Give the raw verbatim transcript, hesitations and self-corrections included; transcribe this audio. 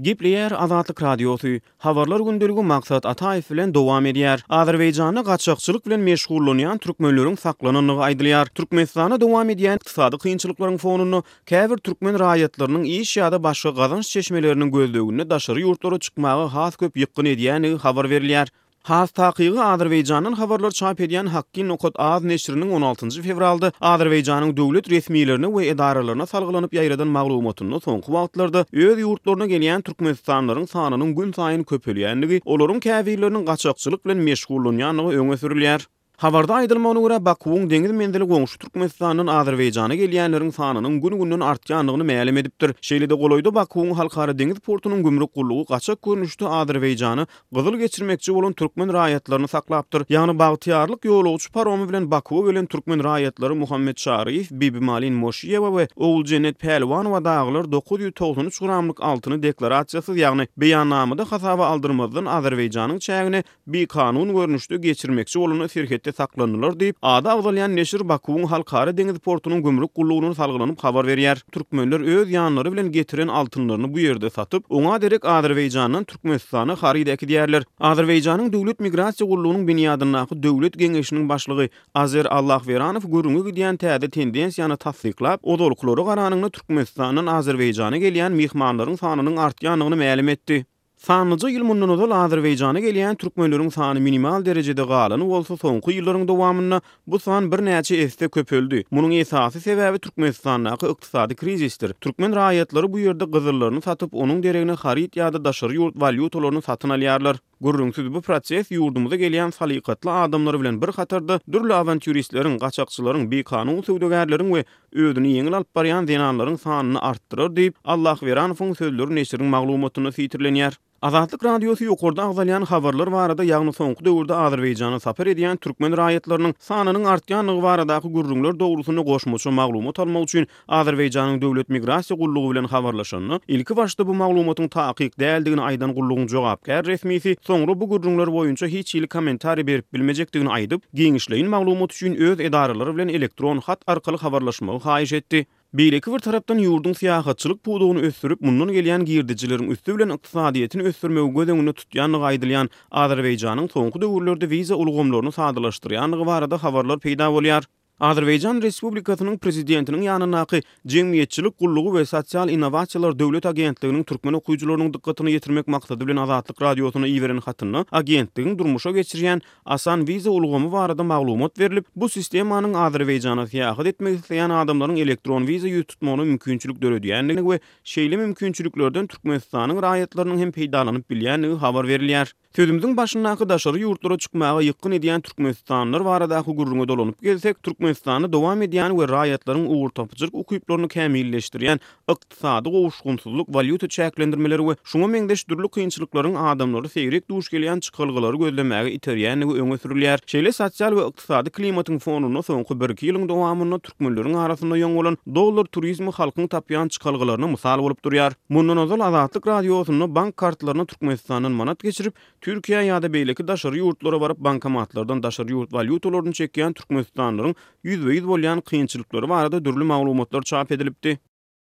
Gepleýär Azatlyk Radiosy, Habarlar gündeligi Maksat Ataýew bilen dowam edýär. Azerbaýjanda gaçakçylyk bilen meşgullanýan türkmenleriň saklanandygy aýdylýar. Türkmenistanda dowam edýän ykdysady kynçylyklaryň fonunda käbir türkmen raýatlarynyň iş ýa-da başga gazanç çeşmeleriniň gözleginde daşary ýurtlara çykmaga has köp ýykgyn edýändigi habar berilýär. Has takygy, Azerbaýjandan habarlar çap edýän Hakki nokat az neşiriniň on altynjy fewralda Azerbaýjanyň döwlet resmilerine we edaralaryna salgylanyp ýaýradan maglumatynda soňky wagtlarda öz ýurtlaryna gelýän türkmenistanlylaryň sanynyň günsaýyn köpelýändigi, olaryň käbirleriniň gaçakçylyk bilen meşgullanýandygy öňe sürülýär. Habarda aýdylmagyna görä, Bakuwyň deňiz menzili goňşy Türkmenistandan Azerbaýjana gelýänleriň sanynyň gün-günden artýandygyny mälim edipdir. Şeýle-de golaýda Bakuwyň Halkara deňiz portunyň gümrük gullugy gaçak görnüşde Azerbaýjana gyzyl geçirmekçi bolan türkmen raýatlaryny saklapdyr. Ýagny Bagtyýarlyk ýolagçy paromy bilen Bakuwa gelen türkmen raýatlary Muhammet Çaryýew, Bibimalin Moşiýewa we Oguljennet Pälwanowa dagylar dokuz ýüz togsan üç gramlyk altyny deklarasiýasyz, ýagny beýannamada hasaba aldyrmazdan Azerbaýjanyň çägine bikanun görnüşde geçirmekçi bolanda serhetde saklandylar diýip, ady agzalýan neşir Bakuwyň Halkara deňiz portunyň gümrük gullugyna salgylanyp habar berýär. Türkmenler öz ýanlary bilen getiren altynlaryny bu ýerde satyp, oňa derek Azerbaýjandan Türkmenistana haryt äkidýärler. Azerbaýjanyň Döwlet migrasiýa gullugynyň binýadyndaky Döwlet geňeşiniň başlygy Azer Allahweranow gürrüňi gidýän täze tendensiýany tassyklap, ozalkylara garanyňda Türkmenistandan Azerbaýjana gelýän myhmanlaryň sanynyň artýandygyny mälim etdi. Sanlyja ýyl mundan ozal Azerbaýjana gelýän türkmenleriň sany minimal derejede galany bolsa, soňky ýyllaryň dowamynda bu san birnäçe esse köpeldi. Munuň esasy sebäbi Türkmenistandaky ykdysady krizisdir. Türkmen raýatlary bu ýerde gyzyllaryny satyp, onuň deregine haryt ýa-da daşary ýurt walýutalaryny satyn alýarlar. Gürrüňsiz, bu proses ýurdumyza gelýän salykatly adamlar bilen bir hatarda dürli awantýuristleriň, gaçakçylaryň, bikanun söwdagärleriň we özüni ýeňil alyp barýan zenanlaryň sanyny artdyrar diýip, Allahweranowyň sözleri neşiriň maglumatynda sitirlenýär. Azatlyk Radiosy ýokarda agzalýan habarlar barada, ýagny soňky döwürde Azerbaýjana sapar edýän türkmen raýatlarynyň sanynyň artýandygy baradaky gürrüňler dogrusynda goşmaça maglumat almak üçin Azerbaýjanyň Döwlet migrasiýa gullugy bilen habarlaşanda, ilki başda bu maglumatyň takyk däldigini aýdan gullugyň jogapkär resmisi soňra bu gürrüňler boýunça hiç hili kommentariý berip bilmejekdigini aýdyp, giňişleýin maglumat üçin öz edaralary bilen elektron hat arkaly habarlaşmagy haýyş etdi. Beýleki bir tarapdan ýurduň syýahatçylyk pudagyny ösdürip, mundan gelýän girdejileriň üsti bilen ykdysadyýetini ösdürmegi göz öňünde tutýandygy aýdylýan Azerbaýjanyň soňky döwürlerde wiza ulgamlaryny sadalaşdyrýandygy barada habarlar peýda bolýar. Azerbaýjan Respublikasynyň Prezidentiniň ýanyndaky Jemgyýetçilik gullugy we sosial innowasiýalar döwlet agentliginiň türkmen okyjylarynyň dykgatyna ýetirmek maksady bilen Azatlyk Radiosyna iberen hatynda agentligiň durmuşa geçirýän Asan wiza ulgamy barada maglumat berlip, bu sistemanyň Azerbaýjana syýahat etmek isleýän adamlaryň elektron wiza ýüz tutmagyna mümkinçilik döredýändigini we şeýle mümkinçiliklerden Türkmenistanyň raýatlarynyň hem peýdalanyp bilýändigi habar berilýär. Sözümiziň başyndaky daşary ýurtlara çykmaga ýykgyn edýän türkmenistanlylar baradaky gürrüňe dolanyp gelsek, Türkmenistanda dowam edýän we raýatlaryň ugurtapyjylyk ukyplaryny kämilleşdirýän ykdysady gowuşgynsyzlyk, walýuta çäklendirmeleri we şuňa meňzeş dürli kynçylyklaryň adamlary seýrek duş gelýän çykalgalary gözlemäge iterýändigi öňe sürülýär. Şeýle sosial we ykdysady klimatyň fonunda soňky birki ýylyň dowamynda türkmenleriň arasynda ýoň bolan dollar turizmi halkyň tapýan çykalgalaryna mysal bolup durýar. Mundan ozal Azatlyk Radiosynda bank kartlaryna Türkmenistandan manat geçirip, Türkiýä ýa-da beýleki daşary ýurtlara baryp bankomatlardan daşary ýurt walýutalaryny çekýän türkmenistanlylaryň ýüzbe-ýüz bolýan kynçylyklary barada dürli maglumatlar çap edilipdi.